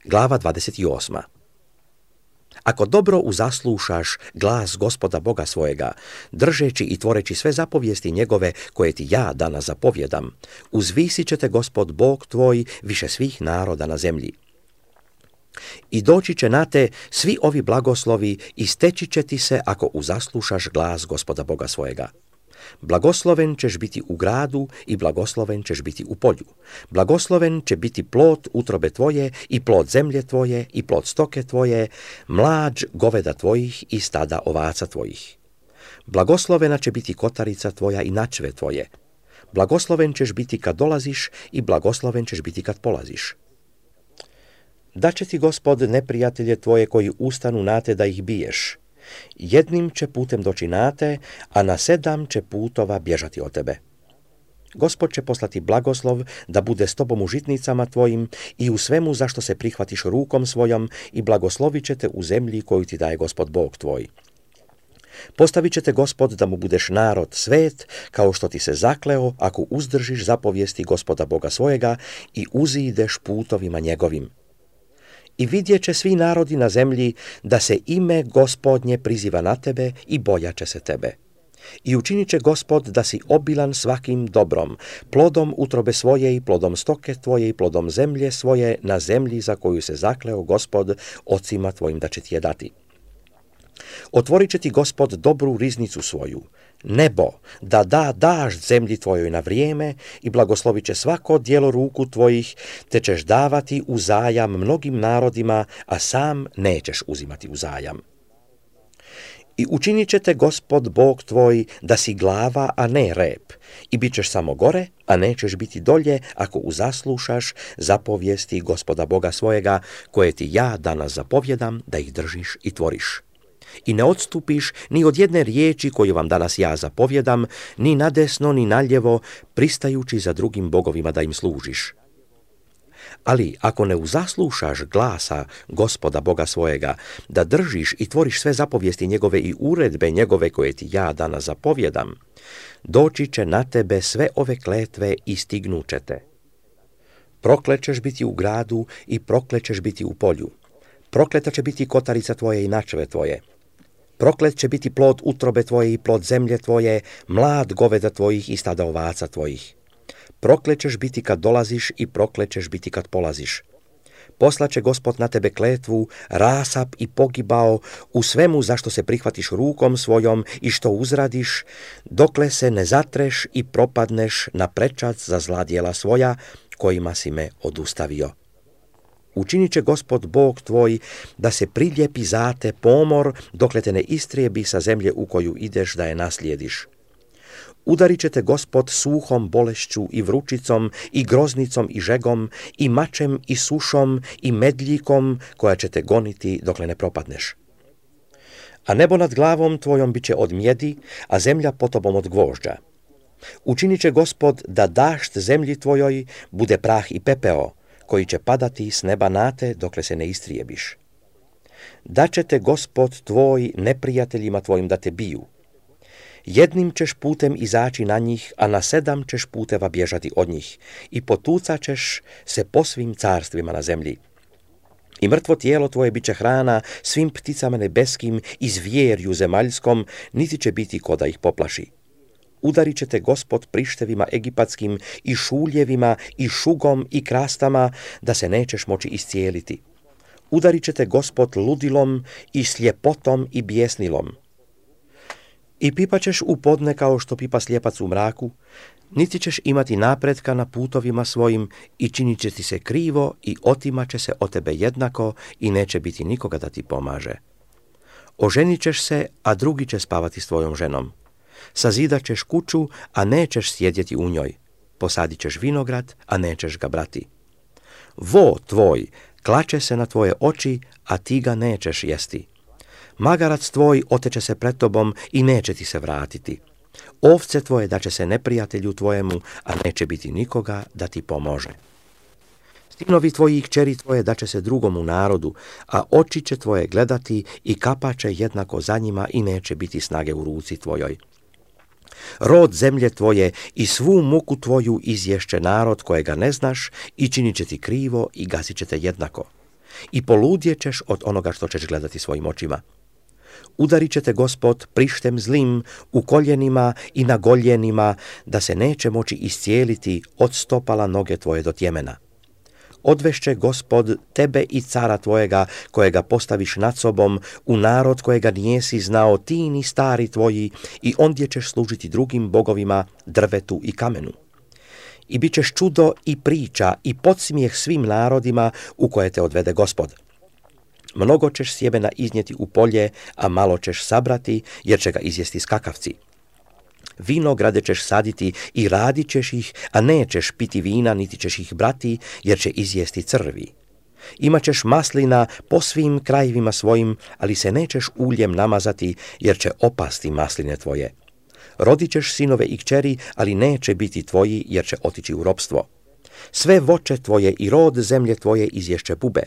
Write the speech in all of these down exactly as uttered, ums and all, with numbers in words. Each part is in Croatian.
Glava dvadeset osma. Ako dobro uzaslušaš glas Gospoda Boga svojega, držeći i tvoreći sve zapovijesti njegove koje ti ja danas zapovjedam, uzvisit će te Gospod Bog tvoj više svih naroda na zemlji. I doći će na te svi ovi blagoslovi i steći će ti se ako uzaslušaš glas Gospoda Boga svojega. Blagosloven ćeš biti u gradu i blagosloven ćeš biti u polju. Blagosloven će biti plod utrobe tvoje i plod zemlje tvoje i plod stoke tvoje, mlađ goveda tvojih i stada ovaca tvojih. Blagoslovena će biti kotarica tvoja i načve tvoje. Blagosloven ćeš biti kad dolaziš i blagosloven ćeš biti kad polaziš. Daće ti Gospod neprijatelje tvoje koji ustanu na te da ih biješ. Jednim će putem doći na te, a na sedam će putova bježati od tebe. Gospod će poslati blagoslov da bude s tobom u žitnicama tvojim i u svemu zašto se prihvatiš rukom svojom i blagoslovit će te u zemlji koju ti daje Gospod Bog tvoj. Postavit će te Gospod da mu budeš narod svet, kao što ti se zakleo ako uzdržiš zapovijesti Gospoda Boga svojega i uzideš putovima njegovim. I vidjet će svi narodi na zemlji da se ime Gospodnje priziva na tebe i bojat će se tebe. I učinit će Gospod da si obilan svakim dobrom, plodom utrobe svoje i plodom stoke tvoje i plodom zemlje svoje na zemlji za koju se zakleo Gospod ocima tvojim da će ti je dati. Otvorit će ti Gospod dobru riznicu svoju, nebo, da da dažd zemlji tvojoj na vrijeme i blagoslovit će svako djelo ruku tvojih, te ćeš davati u zajam mnogim narodima, a sam nećeš uzimati u zajam. I učinit će te Gospod Bog tvoj da si glava, a ne rep, i bit ćeš samo gore, a nećeš biti dolje, ako uzaslušaš zapovijesti Gospoda Boga svojega, koje ti ja danas zapovjedam da ih držiš i tvoriš. I ne odstupiš ni od jedne riječi koju vam danas ja zapovjedam, ni nadesno ni naljevo, pristajući za drugim bogovima da im služiš. Ali ako ne uzaslušaš glasa Gospoda Boga svojega, da držiš i tvoriš sve zapovijesti njegove i uredbe njegove koje ti ja danas zapovjedam, doći će na tebe sve ove kletve i stignuće te. Proklet ćeš biti u gradu i proklet ćeš biti u polju. Prokleta će biti kotarica tvoje i načve tvoje. Proklet će biti plod utrobe tvoje i plod zemlje tvoje, mlad goveda tvojih i stada ovaca tvojih. Proklet ćeš biti kad dolaziš i proklet ćeš biti kad polaziš. Poslaće Gospod na tebe kletvu, rasap i pogibao u svemu zašto se prihvatiš rukom svojom i što uzradiš, dokle se ne zatreš i propadneš na prečac za zla djela svoja, kojima si me odustavio. Učinit će Gospod Bog tvoj da se priljepi za te pomor, dokle te ne istrijebi sa zemlje u koju ideš da je naslijediš. Udarit će te Gospod suhom bolešću i vrućicom i groznicom i žegom i mačem i sušom i medljikom koja će te goniti dokle ne propadneš. A nebo nad glavom tvojom bit će od mjedi, a zemlja pod tobom od gvožđa. Učinit će Gospod da dašt zemlji tvojoj bude prah i pepeo, koji će padati s neba na te dokle se ne istrijebiš. Daće te Gospod tvoj neprijateljima tvojim da te biju. Jednim ćeš putem izaći na njih, a na sedam ćeš puteva bježati od njih i potucat ćeš se po svim carstvima na zemlji. I mrtvo tijelo tvoje bit će hrana svim pticama nebeskim i zvjerju zemaljskom, niti će biti ko da ih poplaši. Udarit će te Gospod prištevima egipatskim i šuljevima i šugom i krastama, da se nećeš moći iscijeliti. Udarit će te Gospod ludilom i sljepotom i bijesnilom. I pipaćeš u podne kao što pipa slijepac u mraku, niti ćeš imati napretka na putovima svojim i činit će ti se krivo i otimat će se od tebe jednako i neće biti nikoga da ti pomaže. Oženit ćeš se, a drugi će spavati s tvojom ženom. Sazidat ćeš kuću, a nećeš sjedjeti u njoj. Posadit ćeš vinograd, a nećeš ga brati. Vo tvoj klače se na tvoje oči, a ti ga nećeš jesti. Magarac tvoj oteće se pred tobom i neće ti se vratiti. Ovce tvoje daće se neprijatelju tvojemu, a neće biti nikoga da ti pomože. Sinovi tvoji i kćeri tvoje daće se drugomu narodu, a oči će tvoje gledati i kapaće jednako za njima i neće biti snage u ruci tvojoj. Rod zemlje tvoje i svu muku tvoju izješće narod kojega ne znaš i činit će ti krivo i gasit će te jednako. i poludjećeš od onoga što ćeš gledati svojim očima. Udarit će te Gospod prištem zlim u koljenima i na goljenima, da se neće moći iscijeliti od stopala noge tvoje do tjemena. Odvešće Gospod tebe i cara tvojega, kojega postaviš nad sobom, u narod kojega nijesi znao ti ni stari tvoji, i ondje ćeš služiti drugim bogovima, drvetu i kamenu. I bit ćeš čudo i priča i podsmijeh svim narodima u koje te odvede Gospod. Mnogo ćeš sjemena iznijeti u polje, a malo ćeš sabrati, jer će ga izjesti skakavci. Vinograde ćeš saditi i radit ćeš ih, a nećeš piti vina, niti ćeš ih brati, jer će izjesti crvi. Imaćeš maslina po svim krajevima svojim, ali se nećeš uljem namazati, jer će opasti masline tvoje. Rodit ćeš sinove i kćeri, ali neće biti tvoji, jer će otići u ropstvo. Sve voće tvoje i rod zemlje tvoje izješće bube.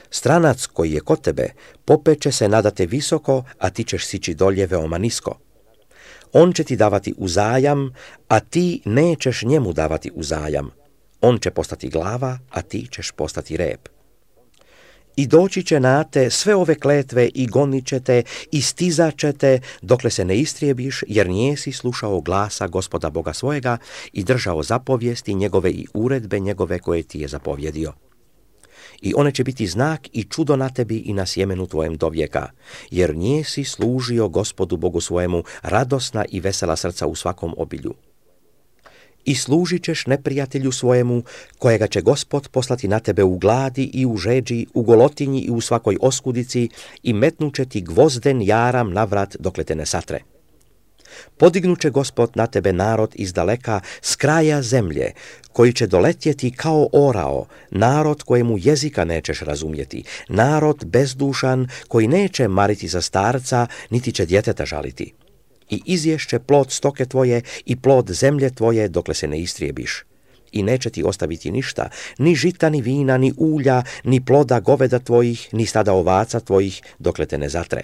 Stranac koji je kod tebe popeće se nadate visoko, a ti ćeš sići dolje veoma nisko. On će ti davati uzajam, a ti nećeš njemu davati uzajam. On će postati glava, a ti ćeš postati rep. I doći će na te sve ove kletve i gonit će te i stizat će te, dokle se ne istrijebiš, jer nijesi slušao glasa Gospoda Boga svojega i držao zapovijesti njegove i uredbe njegove koje ti je zapovjedio. I one će biti znak i čudo na tebi i na sjemenu tvojem do vijeka, jer nijesi služio Gospodu Bogu svojemu radosna i vesela srca u svakom obilju. I služit ćeš neprijatelju svojemu, kojega će Gospod poslati na tebe u gladi i u žeđi, u golotinji i u svakoj oskudici, i metnuće ti gvozden jaram na vrat dokle te ne satre. Podignuće Gospod na tebe narod iz daleka, s kraja zemlje, koji će doletjeti kao orao, narod kojemu jezika nećeš razumjeti, narod bezdušan koji neće mariti za starca, niti će djeteta žaliti. I izješće plod stoke tvoje i plod zemlje tvoje dokle se ne istrijebiš. I neće ti ostaviti ništa, ni žita, ni vina, ni ulja, ni ploda goveda tvojih, ni stada ovaca tvojih, dokle te ne zatre.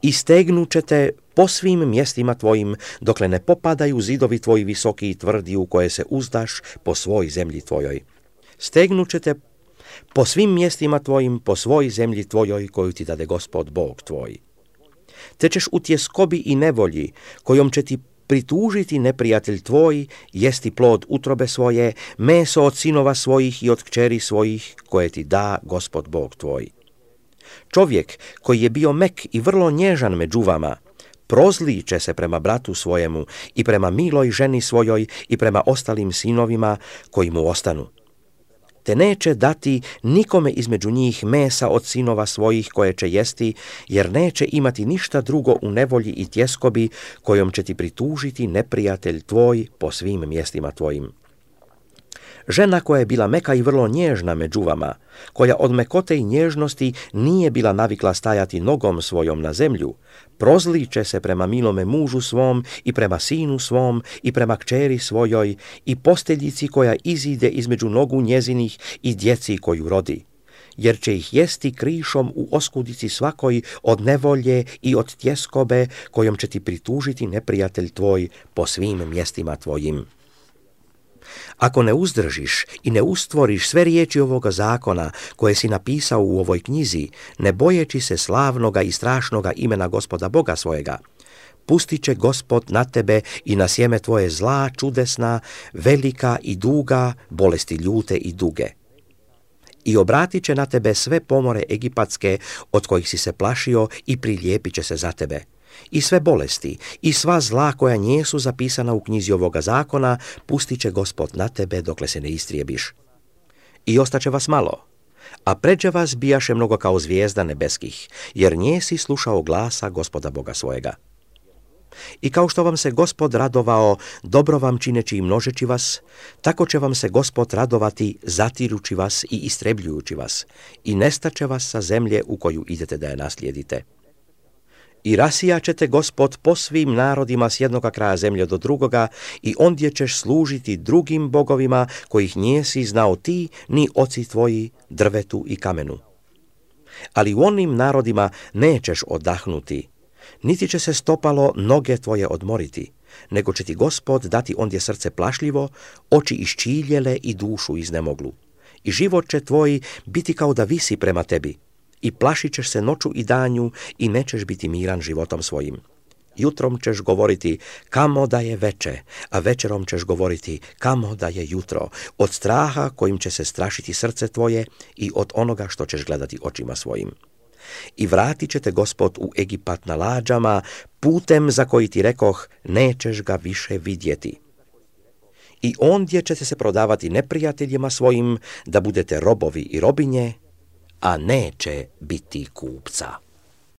I stegnut će te po svim mjestima tvojim, dokle ne popadaju zidovi tvoji visoki i tvrdi u koje se uzdaš po svoj zemlji tvojoj. Stegnut će te po svim mjestima tvojim, po svoj zemlji tvojoj, koju ti dade Gospod Bog tvoj. Te ćeš u tjeskobi i nevolji, kojom će ti pritužiti neprijatelj tvoj, jesti plod utrobe svoje, meso od sinova svojih i od kćeri svojih, koje ti da Gospod Bog tvoj. Čovjek koji je bio mek i vrlo nježan među vama, prozliče se prema bratu svojemu i prema miloj ženi svojoj i prema ostalim sinovima koji mu ostanu. Te neće dati nikome između njih mesa od sinova svojih koje će jesti, jer neće imati ništa drugo u nevolji i tjeskobi kojom će ti pritužiti neprijatelj tvoj po svim mjestima tvojim. Žena koja je bila meka i vrlo nježna među vama, koja od mekote i nježnosti nije bila navikla stajati nogom svojom na zemlju, prozliče se prema milome mužu svom i prema sinu svom i prema kćeri svojoj i posteljici koja izide između nogu njezinih i djeci koju rodi, jer će ih jesti krišom u oskudici svakoj od nevolje i od tjeskobe kojom će ti pritužiti neprijatelj tvoj po svim mjestima tvojim. Ako ne uzdržiš i ne ustvoriš sve riječi ovoga zakona koje si napisao u ovoj knjizi, ne bojeći se slavnoga i strašnoga imena Gospoda Boga svojega, pustit će Gospod na tebe i na sjeme tvoje zla čudesna, velika i duga, bolesti ljute i duge. I obratit će na tebe sve pomore egipatske od kojih si se plašio i prilijepit će se za tebe. I sve bolesti i sva zla koja njesu zapisana u knjizi ovoga zakona pustit će Gospod na tebe dokle se ne istrijebiš. I ostaće vas malo, a pređe vas bijaše mnogo kao zvijezda nebeskih, jer njesi slušao glasa Gospoda Boga svojega. I kao što vam se Gospod radovao, dobro vam čineći i množeći vas, tako će vam se Gospod radovati zatirući vas i istrebljujući vas, i nestaće vas sa zemlje u koju idete da je naslijedite. I rasijat će te Gospod po svim narodima s jednoga kraja zemlje do drugoga, i ondje ćeš služiti drugim bogovima kojih nijesi znao ti ni oci tvoji, drvetu i kamenu. Ali u onim narodima nećeš odahnuti, niti će se stopalo noge tvoje odmoriti, nego će ti Gospod dati ondje srce plašljivo, oči iščiljele i dušu iznemoglu. i život će tvoj biti kao da visi prema tebi i plašit ćeš se noću i danju i nećeš biti miran životom svojim. Jutrom ćeš govoriti kamo da je veče, a večerom ćeš govoriti kamo da je jutro, od straha kojim će se strašiti srce tvoje i od onoga što ćeš gledati očima svojim. I vratit će te Gospod u Egipat na lađama, putem za koji ti rekoh, nećeš ga više vidjeti. I ondje ćete se prodavati neprijateljima svojim, da budete robovi i robinje, a neće biti kupca.